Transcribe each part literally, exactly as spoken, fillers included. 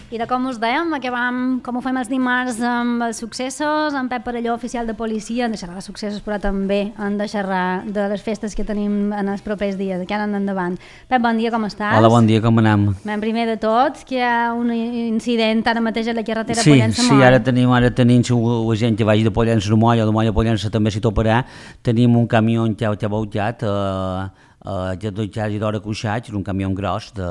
I de com us dèiem, que vam, com ho fem els dimarts amb els successos, en Pep Parelló, oficial de policia, en de xerrar de successos, però també en de xerrar de les festes que tenim en els propers dies, que han endavant. Pep, bon dia, com estàs? Hola, bon dia, com anem? Ben, primer de tot, que hi ha un incident ara mateix a la carretera sí, Pollença-Moll. Sí, ara tenim, ara tenim la gent que vagi de Pollença a Moll o de Moll a Pollença també s'hi toparà. Tenim un camió que ha volcat, eh, Uh, ja dos i d'hora cuixats, un camió gros de,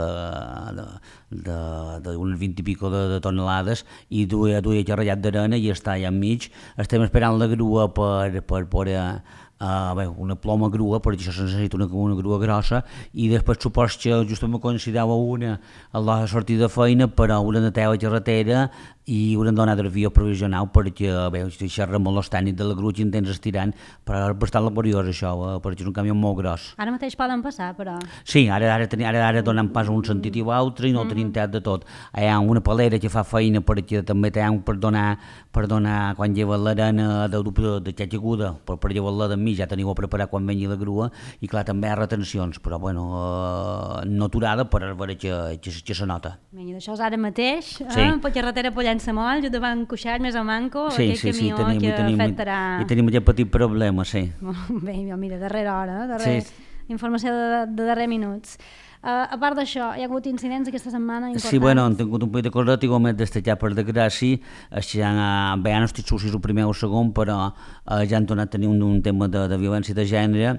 de, de, de unes vint i pico de, de tonelades i duia, duia xerrallat d'arena i està allà enmig. Estem esperant la grua per, per poder Uh, bé, una ploma grua, perquè això se necessita una, una grua grossa, i després supos que justament coincidava una a la sortida de feina, però una de teva carretera i una donada de via provisional, perquè bé, xerra molt els tècnics de la grua i intents estirant, però és bastant laboriós això, eh, perquè és un camió molt gros. Ara mateix poden passar, però... Sí, ara, ara, ara, ara donem pas a un sentit i a l'altre i no mm. tenim tet de tot. Hi ha una palera que fa feina perquè també té per donar, per donar quan lleva l'arena de, de, de xatxa aguda, per, per llevar-la de mi, ja teniu a preparar quan vengui la grua, i clar, també hi ha retencions, però bueno, eh, no aturada, però és vera que, que, que se nota. Vinga, d'això és ara mateix, eh? Sí. Per carretera Pollença-Moll, just davant Cuixart, més a Manco, sí, aquell sí, sí, camió tenim, que tenim, afectarà... I tenim aquest petit problema, sí. Molt bé, mira, darrera hora, darrere... sí. Informació de, de darrer minuts. Uh, a part d'això, hi ha hagut incidents aquesta setmana importants? Sí, bueno, han tingut un poquet de cosa, igualment destacar per desgràcia, ja, bé, ja no estic segur si és el primer o el segon, però uh, ja han tornat a tenir un, un tema de, de violència de gènere,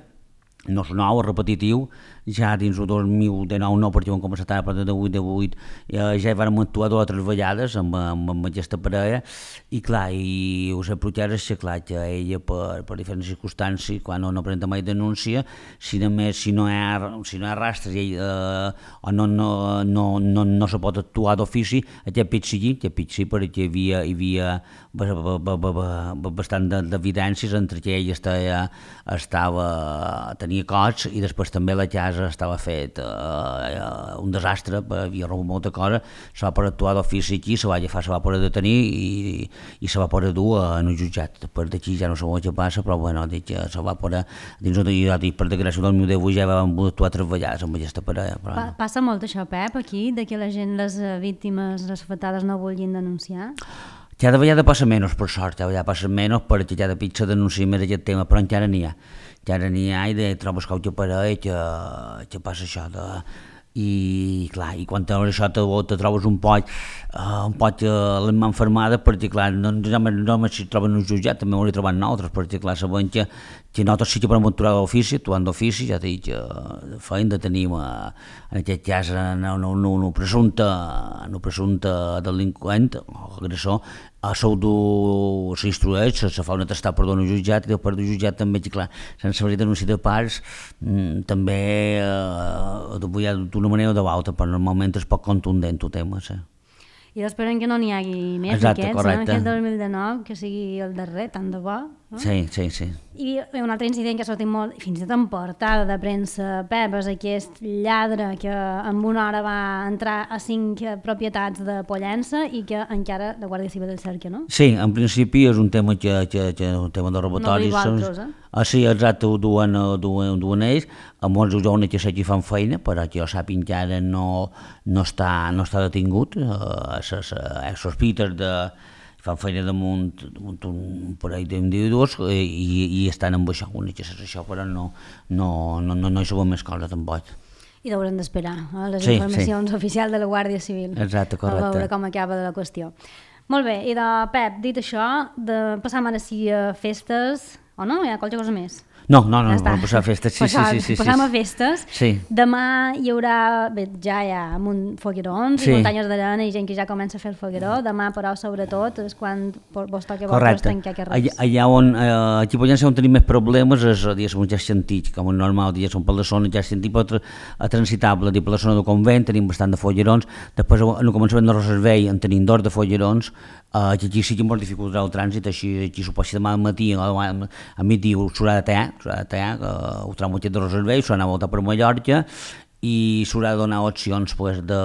no és nou, és repetitiu, ja dins el dos mil dinou no, perquè vam començar a partir de vuit de vuit, eh, ja hi vam actuar dues o tres vegades amb, amb, amb aquesta parella, i clar, i us reprochar és que clar, que ella per, per diferents circumstàncies, quan no, no presenta mai denúncia, si només si no hi ha, si no hi ha rastres i ell, eh, o no, no, no, no, no se pot actuar d'ofici, aquest pit sigui, aquest pit sí, perquè hi havia, hi havia bastant d'evidències entre que ell estava, estava tenia cots i després també la casa estava fet eh, un desastre, havia rebut molta cosa, se va poder actuar d'ofici aquí, se va agafar, se va poder detenir i, i se va poder dur en un jutjat. Després d'aquí ja no sé què passa, però bueno, dic que se va poder, dins de ja dic, per desgràcia del dos mil deu ja vam actuar tres vegades amb aquesta parella. Però... Pa passa molt això, Pep, aquí, de que la gent, les víctimes, les afectades no vulguin denunciar? Cada vegada passa menys, per sort, cada vegada passa menys perquè cada pitja denuncia més aquest tema, però encara n'hi ha. Encara n'hi ha i de trobes qualque parell que, que passa això de... I clar, i quan trobes això te, te trobes un poc uh, un poc uh, l'emma enfermada perquè clar, no només si troben un jutjat, també ho hauria trobat nosaltres, perquè clar, sabem que, que nosaltres sí que podem actuar d'ofici, actuant d'ofici, ja t'he dit que uh, feim de tenir uh, en aquest cas un no, no, no, no presumpte, no presumpte delinqüent o agressor, a sou s'instrueix, se fa un atestat per donar un jutjat i per un jutjat també, que clar, sense haver denúncia de parts, mm, també eh, d'una manera o de l'altra, però normalment és poc contundent el tema, sí. I esperem que no n'hi hagi més d'aquests, no? Aquest dos mil dinou, que sigui el darrer, tant de bo. No? Sí, sí, sí. I un altre incident que ha sortit molt, fins i tot en portada de premsa, Pep, és aquest lladre que en una hora va entrar a cinc propietats de Pollença i que encara la Guàrdia Civil el cerca, no? Sí, en principi és un tema que, que, que un tema de robatoris. No diu altres, eh? Ah, sí, exacte, ho duen, duen, duen ells, amb molts joves que sé que fan feina, però que jo sàpiga que ara no, no, està, no està detingut, eh, sospites de... fan feina damunt, damunt un parell d'individus i, i estan amb això, únic que és això, però no, no, no, no, no hi sabem més coses tampoc. I haurem d'esperar eh, les sí, informacions sí. oficials de la Guàrdia Civil. Exacte, correcte. A veure com acaba de la qüestió. Molt bé, i de Pep, dit això, de passar ara sí a festes, o no? Hi ha qualque cosa més? No, no, no, ja no volem passar a festes, sí, Passar, sí, sí, sí. Passam a festes. Sí. Demà hi haurà, bé, ja hi ha foguerons sí. i muntanyes d'arena i gent que ja comença a fer el fogueró. Demà, però, sobretot, és quan vos toca vosaltres tancar carrers. Allà on, eh, aquí podem ser on tenim més problemes és, diguéssim, ja sentit, com un normal, diguéssim, per la zona ja sentit pot a transitable, per la zona del convent tenim bastant de foguerons, després en el començament de Roservei en tenim dos de foguerons, eh, que aquí sí que molt dificultarà el trànsit, així, aquí suposo demà al matí, a, a migdia s'haurà de tallar, s'haurà de tallar, que ho trau aquest de Roservei, s'haurà d'anar a voltar per Mallorca, i s'haurà de donar opcions pues, de,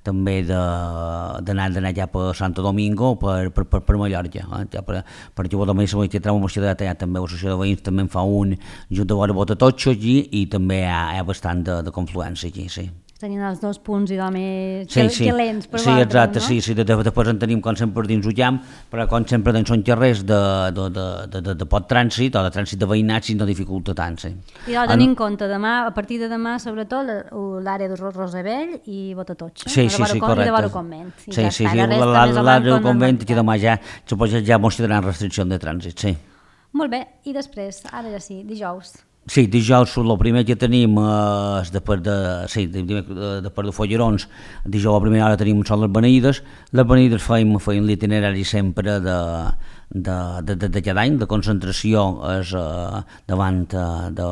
també d'anar d'anar ja per Santo Domingo per, per, per, per Mallorca, eh? Ja per, perquè vol també saber que trau una de tallar, també l'associació de veïns també en fa un junt de vora Botatotxo allí i també hi ha, hi ha bastant de, de confluència aquí, sí. tenien els dos punts i més sí, que, sí. que lents per sí, exacte, no? sí, sí, després en tenim com sempre dins Ullam, però com sempre doncs, són carrers de, de, de, de, de, de pot trànsit o de trànsit de veïnats i no dificulta tant. Sí. I doncs tenir en compte demà, a partir de demà, sobretot l'àrea de Rosabell i Botatotxa, sí, sí, sí, correcte. i de Varo Convent. I sí, ja sí, està, sí, l'àrea del Convent i demà ja, suposo ja mos tindran restricció de trànsit, sí. Molt bé, i després, ara ja sí, dijous. Sí, dijous el primer que tenim eh, és després de, sí, després de Follerons, dijous a primera hora tenim són les beneïdes, les beneïdes feim, feim l'itinerari sempre de, de, de, de, de cada any, de concentració és eh, davant, eh, de,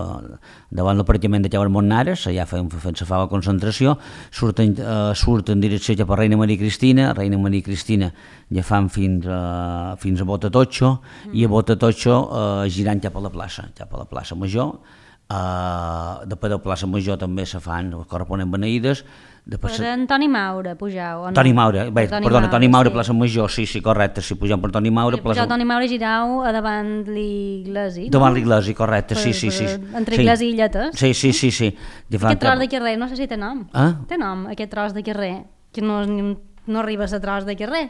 davant l'aparcament de Llaurar Montnares, allà fem, fem la fava concentració, surten, eh, surten en direcció cap a Reina Maria Cristina, Reina Maria Cristina ja fan fins a, fins a Botatotxa, mm. i a Botatotxa eh, girant cap a la plaça, cap a la plaça Major. Uh, després de la plaça Major també se fan corresponent beneïdes. Per Antoni Maura, pujau, o no? Toni Maura, bé, Toni perdona, Maura, Toni Maura, sí. plaça Major, sí, sí, correcte, si pugem per Toni Maura... Sí, plaça... pujau Toni Maura girau a davant l'iglesi, no? Davant l'iglesi, correcte, sí, sí, sí. Entre sí. iglesi i Lletes. Sí, sí, sí, sí. Aquest tros de carrer, no sé si té nom. Ah? Té nom, aquest tros de carrer, que no, no arriba a ser tros de carrer.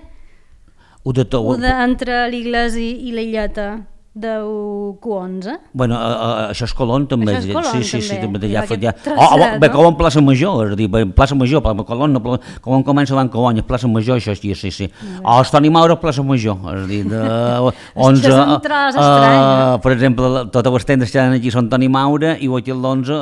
Ho de tot... Ho de, entre l'iglesi i la Lleta del Q onze. Bueno, a, a, això és Colón també. Això és Colón, sí, sí, sí, també. també. Ja, ja... Traçat, oh, oh, bé, no? com en plaça Major, és a dir, plaça Major, Colón, no, com comença davant Colón, és plaça Major, això sí, sí, sí. O oh, Toni Maura, plaça Major, és a dir, de onze... és un tros estrany, uh, per exemple, totes les tendes que hi aquí són Toni Maura i aquí l'onze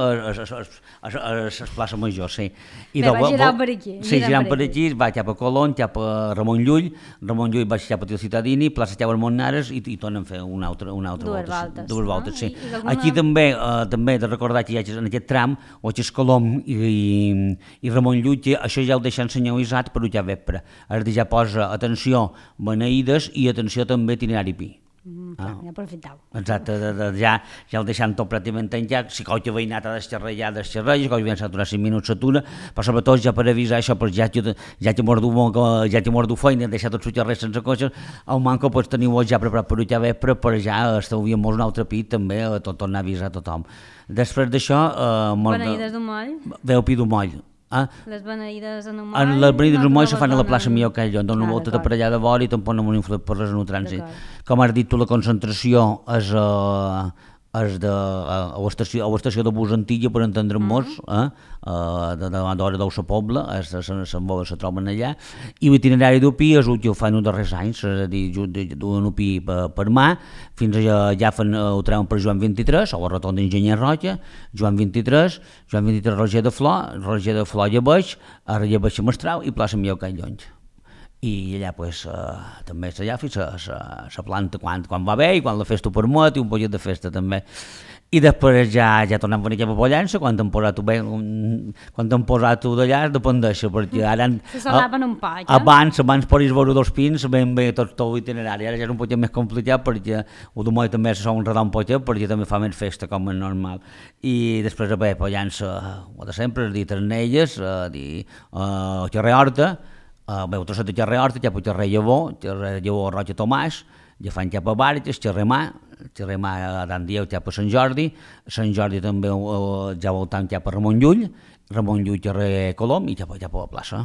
és plaça Major, sí. I bé, va girar per aquí. Sí, girant per aquí, va cap a Colón, cap a Ramon Llull, Ramon Llull va cap a Til Ciutadini, plaça Llaurar Montnares i, i tornen a fer una altra, una altra Dues volta. voltes, Dues voltes, no? sí. I, i alguna... Aquí també eh, també he de recordar que hi ha en aquest tram, o és Colom i, i, i Ramon Llull, això ja ho deixen senyalitzat per ja vespre. És a dir, ja posa atenció beneïdes i atenció també itinerari pi. Mm, clar, ah. Ja aprofitau. Exacte, de, de, ja, ja el deixant tot pràcticament tancat, si qualque veïnat ha d'esxerrar ja d'esxerrar, si qualque veïnat s'ha d'aturar cinc minuts s'atura, però sobretot ja per avisar això, perquè ja que ja que mordu, ja que mordu feina, deixar tot xerrar sense cotxes, el manco pues, teniu ja preparat per ja vespre, però ja estalviem un altre pit també, a tot tornar a avisar a tothom. Després d'això... Eh, Beneïdes d'un moll? Veu pi d'un moll. Ah? Les beneïdes en un moll? En les beneïdes en un moll se fan a la plaça Millor que allò, donen una ah, volta de per allà de vora i tampoc no m'ho influït per res en el trànsit. Com has dit tu, la concentració és, uh, és de, uh, a l'estació de bus Antilla, per entendre-nos, mm -hmm. eh? uh, de davant d'hora del Poble, se troben allà, i l'itinerari d'Upí és el que ho fan els darrers anys, és a dir, duen Upí per, per mà, fins allà ja fan, ho treuen per Joan vint-i-tres, o la rotonda d'Enginyer Roja, Joan vint-i-tres, Joan vint-i-tres Roger de Flor, Roger de Flor Llebeig, a Llebeig Mestral i plaça Millor que Llonys. I allà pues, uh, també allà fins a la planta quan, quan va bé i quan la festa ho permet i un pollet de festa també. I després ja, ja tornem a venir cap a Pollença, quan t'han posat bé, quan t'han posat d'allà dependeix, perquè ara... Se salaven un poc, eh? Abans, abans podries veure dos pins, ben bé tot, tot l'itinerari, ara ja és un poquet més complicat perquè el domoll també se sol enredar un poquet perquè també fa més festa com és normal. I després bé, Pollença, ho de sempre, és dir, Ternelles, uh, dir, uh, Carrer Horta, Uh, bé, el trosset de Xerrer Horta, cap a Xerrer Llavor, Xerrer Llavor Roja Tomàs, ja fan cap a Barges, Xerrer Mà, Xerrer Mà a Dan Dieu cap a Sant Jordi, Sant Jordi també uh, ja voltant cap a Ramon Llull, Ramon Llull, Xerrer Colom i cap a, cap a la plaça.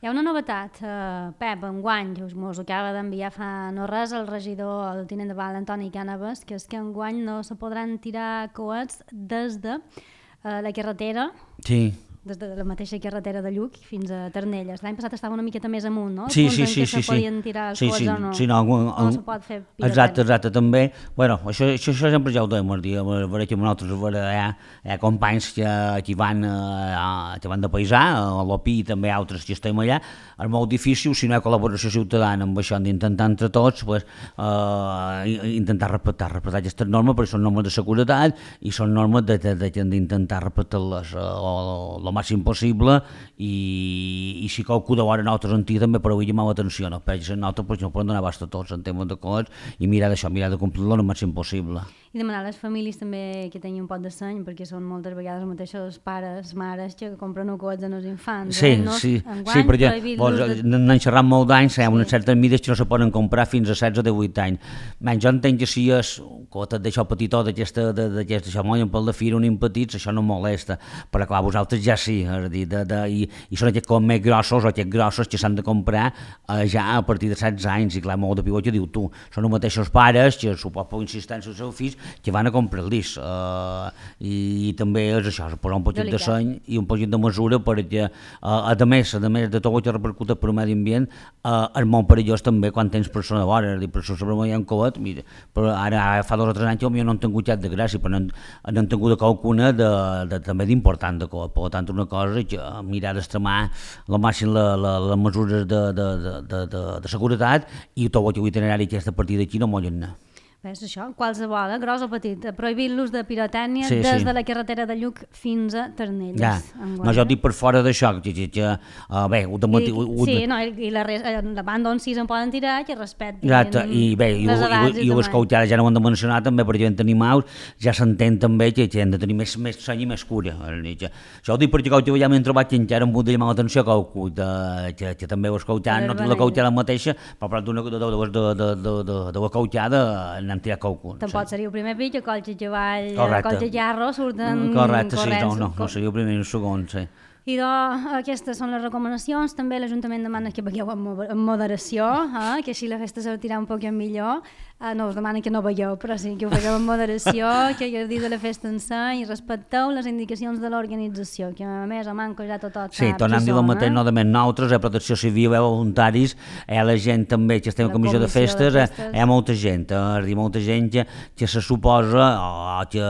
Hi ha una novetat, uh, Pep, enguany, que us acaba d'enviar fa no res el regidor, el tinent de Val, Antoni Cànavas, que és que enguany no se podran tirar coets des de uh, la carretera. Sí. Des de la mateixa carretera de Lluc fins a Ternelles. L'any passat estava una miqueta més amunt, no? Sí, sí, sí. Que se sí, podien tirar els sí, coets sí, o no? Sí, no, un, o no se pot fer pirotècnia. Exacte, exacte, també. Bueno, això, això, això sempre ja ho dèiem, dir, a veure que nosaltres hi ha, hi ha companys que, que, van, uh, que van de paisà, a l'Opí i també altres que estem allà. És molt difícil, si no hi ha col·laboració ciutadana amb això, d'intentar entre tots pues, uh, intentar respectar, respectar aquestes normes, perquè són normes de seguretat i són normes d'intentar respectar-les el màxim possible. I, i si qualcú de vora nosaltres en tia també per avui llamar l'atenció, no? Perquè nosaltres pues, no podem donar abast a tots en temes de cots i mirar d'això, mirar de complir-lo el màxim possible. I demanar a les famílies també que tinguin un pot de seny, perquè són moltes vegades mateixos pares, mares que compren un cots als infants. Sí, eh? no, sí, enguany, sí, perquè pues, de... n'han xerrat molt d'anys, hi ha unes sí. certes mides que no se poden comprar fins a setze o divuit anys. Men, jo entenc que si és cotet d'això petitó, d'aquesta, d'aquesta, això moien pel de fira, un petits, això no molesta, però clar, vosaltres ja sí, és a dir, de, de, i, i són aquests com més grossos o aquests grossos que s'han de comprar eh, ja a partir de setze anys, i clar, molt de pivot que diu tu, són els mateixos pares que supos per insistència dels seus fills que van a comprar el disc, uh, i, i també és això, posar un poquet de seny i un poquet de mesura perquè, uh, a més, a més de tot el que repercuta per el medi ambient, uh, és molt perillós també quan tens persona vora, és a dir, per això sobre hi ha un coet, mira, però ara fa dos o tres anys jo no han tingut cap de gràcia, però no han tingut qualcuna de, de, també d'important de coet, per tant una cosa que mirar d'extremar al màxim les la, mesures de, de, de, de, de, de seguretat, i tot el que itinerari que és a partir d'aquí no mollin anar. És això, qualsevol, eh? Gros o petit, prohibir l'ús de pirotècnia sí, des sí. de la carretera de Lluc fins a Ternelles. Ja. No, jo dic per fora d'això, que, que, que uh, bé, ho de matí... I, ho, sí, no, i la, la banda on sí se'n poden tirar, que respectin Exacte, i bé, i, les edats. I, i, i les cautades ja no ho hem de mencionar també, perquè havent animals ja s'entén també que, que hem de tenir més, més seny i més cura. Que, això ho dic perquè que ja m'hem trobat que encara em vull llamar l'atenció que, que, que també ho escoltant, no tinc la cautada mateixa, però per d'una de, de, de, de, de, de, de la cautada n'hem tirat qualcun. Tampoc seria el primer pic, que colxa cavall, colxa llarro surten correcte, corrents. Sí, no, no, no seria el primer ni el segon, sí. I doncs, aquestes són les recomanacions. També l'Ajuntament demana que veieu amb moderació, eh? Que així la festa sortirà un poc millor. Uh, no us demana que no veieu, però sí que ho veieu amb moderació, que gaudís de la festa en sa i respecteu les indicacions de l'organització, que a més a manco ja tot tot sí, tornem a dir el mateix, no de més nosaltres, a Protecció Civil, a voluntaris, a la gent també que estem a comissió de festes, de festes. Hi ha molta gent, és dir, molta gent que, que se suposa oh, que,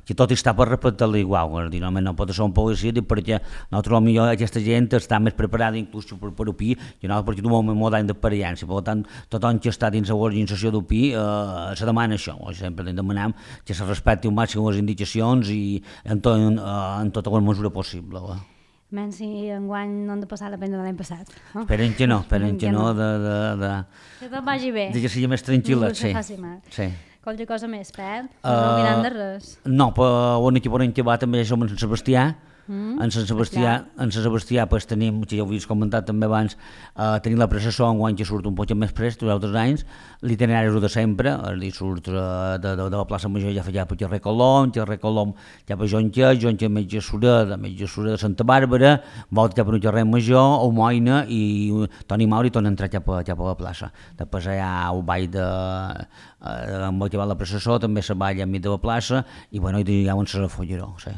que tot està per respectar-la igual, és dir, no pot ser un policia, perquè nosaltres potser aquesta gent està més preparada inclús per, per O P I, que nosaltres perquè tenim molt d'any d'experiència, per tant, tothom que està dins de l'organització d'O P I Uh, se demana això, sempre demanem que se respecti un màxim les indicacions i en, to, en, uh, en tota la mesura possible. Uh. Menys si enguany no han de passar la pena de l'any passat. Oh? Esperen que no, esperen que, que no. De, de, de, que tot vagi bé. De que sigui més tranquil·la, sí. sí. Qualque cosa més, Pep? No uh, uh, mirant de res. No, però on aquí podem acabar també som en Sant Sebastià. Mm, en Sant Sebastià, en Sant Sebastià pues, tenim, que ja ho havies comentat també abans, uh, tenim la processó enguany que surt un poc més prest, els altres anys, l'itinerari és el de sempre, és dir, surt uh, de, de, de la plaça Major ja fa ja per Carrer Colom, Carrer Colom ja per Jonca, Jonca Metge Sureda, Metge Sureda de Santa Bàrbara, volta ja per un Carrer Major, Homoina i Toni Mauri torna a entrar ja per, ja per la plaça. Després hi ha el ball de... Uh, amb el que va la processó, també se balla enmig de la plaça i bueno, hi ha un Cesar Folleró, sí.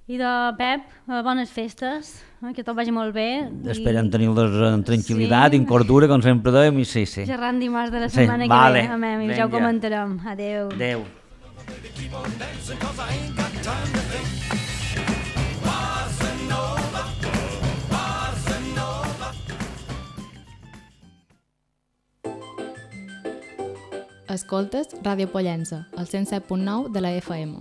I de Pep, bones festes, eh, que tot vagi molt bé. Esperem tenir-les en tranquil·litat, sí. En cordura, com sempre dèiem, i sí, sí. Xerrant dimarts de la setmana sí, que vale. ve, amem, i ja ho comentarem. Adéu. Adéu. Escoltes Ràdio Pollença, al cent set punt nou de la F M.